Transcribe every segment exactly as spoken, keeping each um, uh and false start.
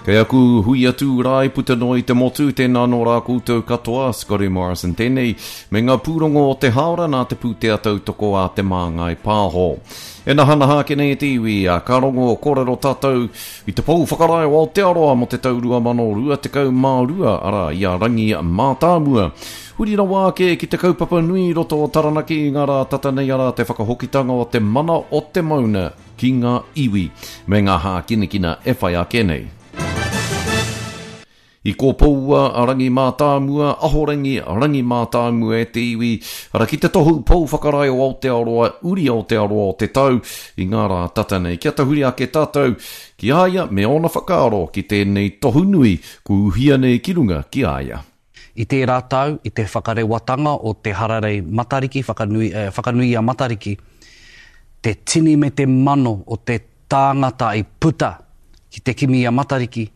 Kei aku hui atu rā i puta noa i te motu, tēnā nō rā koutou katoa, Scotty Morrison tēnei, me ngā pūrongo o te hāora nā te pūtea tautoko a Te Māngai Pāho. E nahanaha ake nei e te iwi, a ka rongo kōrero tātou i te pou whakarae o Aotearoa mō te tau rua mano rua tekau mā rua, arā, i a Rangi Mātāmua. Huri rawa ake ki te kaupapa nui i roto o Taranaki i ngā rā tata nei, arā, te whakahokitanga o te mana o te mauna ki ngā iwi, me ngā hākinakina e whai ake nei. I kōpoua a Rangi Mātāmua, Ahorangi Rangi Mātāmua e te iwi, ara ki te tohu pou whakarae o Aotearoa, uri Aotearoa o te tau i ngā rā tata nei. Kia tahuri ake tātou ki a ia me ōna whakaaro ki tēnei tohu nui ku uhia nei ki runga ki a ia. I tērā tau, i te whakarewatanga o te hararei Matariki, whakanui, eh, whakanui a Matariki, te tini me te mano o te tāngata i puta ki te kimi a Matariki,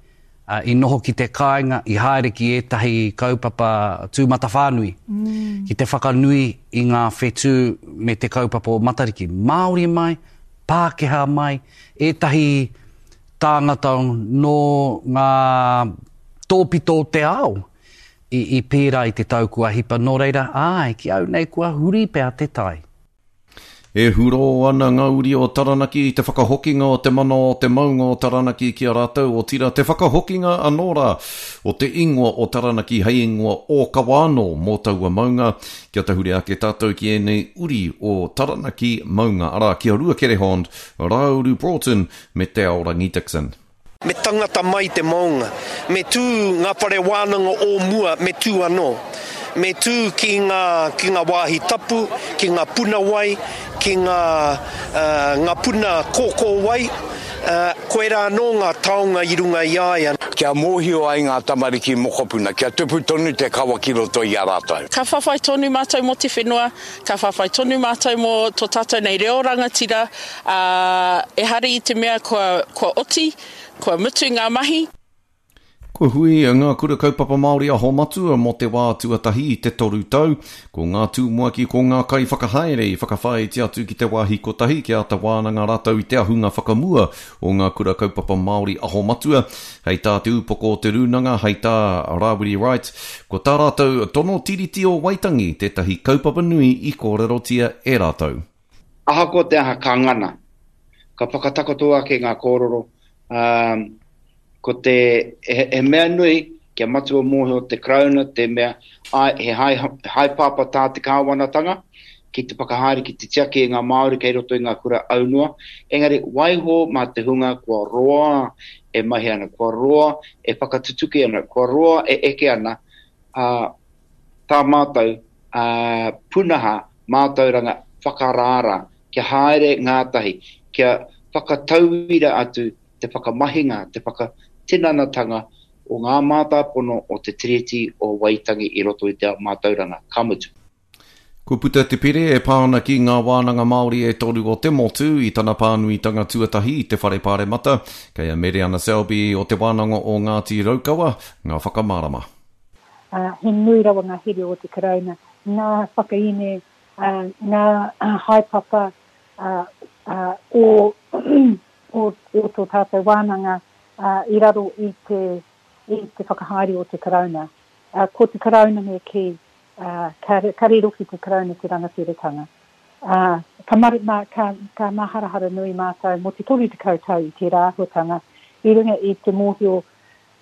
uh, i noho ki te kāinga, i haere ki ētahi kaupapa tūmatawhānui, mm. ki te whakanui i ngā whetū me te kaupapa o Matariki. Māori mai, Pākehā mai, ētahi tāngata nō ngā tōpito o te ao i, i pērā i te tau kua hipa. Nō reira, āe, ki au nei kua huri pea te tai. E huro ana ngā uri o Taranaki i te whakahokinga o te mana o te maunga o Taranaki ki a rātou, otira te whakahokinga anō rā o te ingoa o Taranaki hei ingoa ōkawa anō mō taua maunga. Kia tahuri ake tātou ki ēnei uri o Taranaki maunga, arā, ki a Ruakere Hond, Rāuru Broughton me Te Aorangi Dixon. Me tangata mai te maunga, me tū ngā whare wānanga o mua, me tū anō. Me tū ki ngā, ki ngā wāhi tapu, ki ngā puna wai, ki ngā, uh, ngā puna kōkō wai, uh, koirā anō ngā taonga i runga i a ia. Kia mōhio ai ngā tamariki mokopuna, kia tupu tonu te kawa ki roto i a rātou. Ka whawhai tonu mātou mō te whenua, ka whawhai tonu mātou mō tō tātou nei reo rangatira, uh, ehara i te mea kua, kua oti, kua mutu ngā mahi. Kua hui ngā kura kaupapa Māori aho matua mō te wā tuatahi i te toru tau. Ko ngā tumuaki, ko ngā kaiwhakahaere i whakawhāiti atu ki te wāhi kotahi ki āta wānanga rātou i te ahunga whakamua o ngā kura kaupapa Māori aho matua. Hei tā te upoko o te rūnanga, hei tā Rāwiri Wright, ko tā rātou tono tiriti o Waitangi tētahi kaupapa nui i kōrerotia e rātou. Ahakoa te aha ka ngana, ka whakatakoto ake ngā kōrero, um, ko te, he, he mea nui kia matua mōhio te Karauna, te mea, ai, he hai, haepapa tā te kāwanatanga ki te whakahaere ki te tiaki i ngā Māori kei roto i ngā kura aunoa, engari waiho mā te hunga kua roa e mahi ana, kua roa e whakatutuki ana, kua roa e eke ana, uh, tā mātou uh, punaha mātauranga whakarāra, kia haere ngātahi, kia whakatauira atu te whakamahinga, te whakatinanatanga o ngā mātāpono o te Tiriti o Waitangi i roto i te ao mātauranga, ka mutu. Kua puta te pere e pā ana ki ngā wānanga Māori e toru o te motu i tana pānuitanga tuatahi i te whare pāremata, kei a Mereana Selby o te wānanga o Ngāti Raukawa, ngā whakamārama. Uh, he nui rawa ngā here o te Karauna, ngā whakaine, uh, ngā uh, haepapa uh, uh, o, o, o tō tātou wānanga uh, i raro i te, i te whakahaere o te Karauna. Uh, ko te Karauna me kī, uh, ka, ka riro ki te Karauna te rangatiratanga. Uh, ka, mar, ma, ka, ka maharahara nui mātou mō te toru tekau tau i tērā āhuatanga, i runga i te mōhio,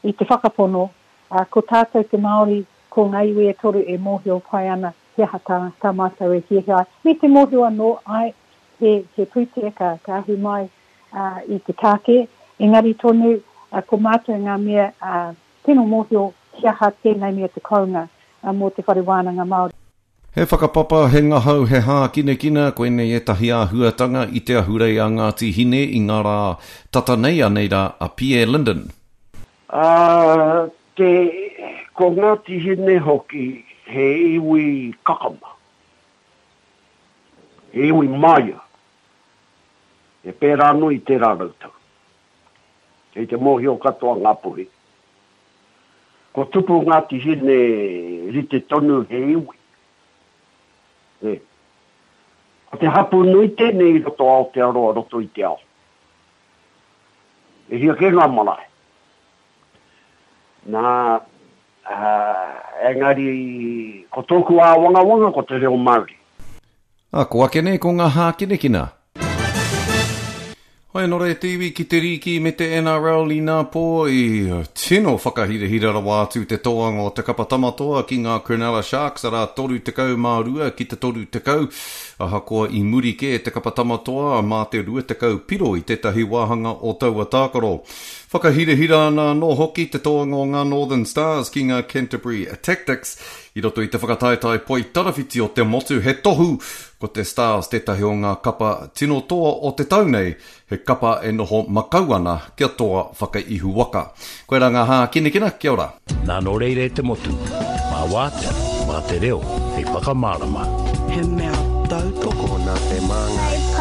i te whakapono, uh, ko tātou te Māori, ko ngā iwi e toru e mōhio pai ana, he aha tā, tā mātou e hiahia ai. Me te mōhio anō, ai, he, he pūtea ka, ka ahu mai uh, i te tāke, engari tonu, uh, ko mātou ngā mea uh, tino mōhio he aha tēnei mea te kounga uh, mō te whare wānanga Māori. He whakapapa, he ngahau, he hākinakina, koinei ētahi āhuatanga i te ahurei a Ngāti Hine i ngā rā tata nei, anei rā a Pierre Linden. Uh, te, ko Ngāti Hine hoki he iwi kakama, he iwi māia, e pērā anō i tērā rautau. Kei te mōhio katoa ngā puhi. Ko tupu Ngāti Hine rite tonu he iwi. E. Ko te hapu nui tēnei i roto Aotearoa, roto i te ao. E hia kē ngā marae. Nā, ā, engari ko tōku āwangawanga ko te reo Māori. Ā, ko ake nei ko ngā hākinakina. Hoi anō rā te iwi ki te rīki me te N R L inā pō i tino whakahirahira rawa atu te toanga o te kapa Tamatoa ki ngā Cronulla Sharks, arā toru tekau mā rua ki te toru tekau, ahakoa i muri kē te kapa Tamatoa mā te rua tekau piro i tētahi wāhanga o taua tākaro. Whakahirahira ana anō hoki te toanga o ngā Northern Stars ki ngā Canterbury Tactix i roto i te whakataetae poitarawhiti o te motu, he tohu ko te Stars tētahi o ngā kapa tino toa o te tau nei, he kapa e noho makau ana kia toa whakaihuwaka. Koirā ngā hākinakina, kia ora. Nā nō reira e te motu, mā wātea, mā te reo, hei whakamārama. He mea tautoko nā Te Māngai.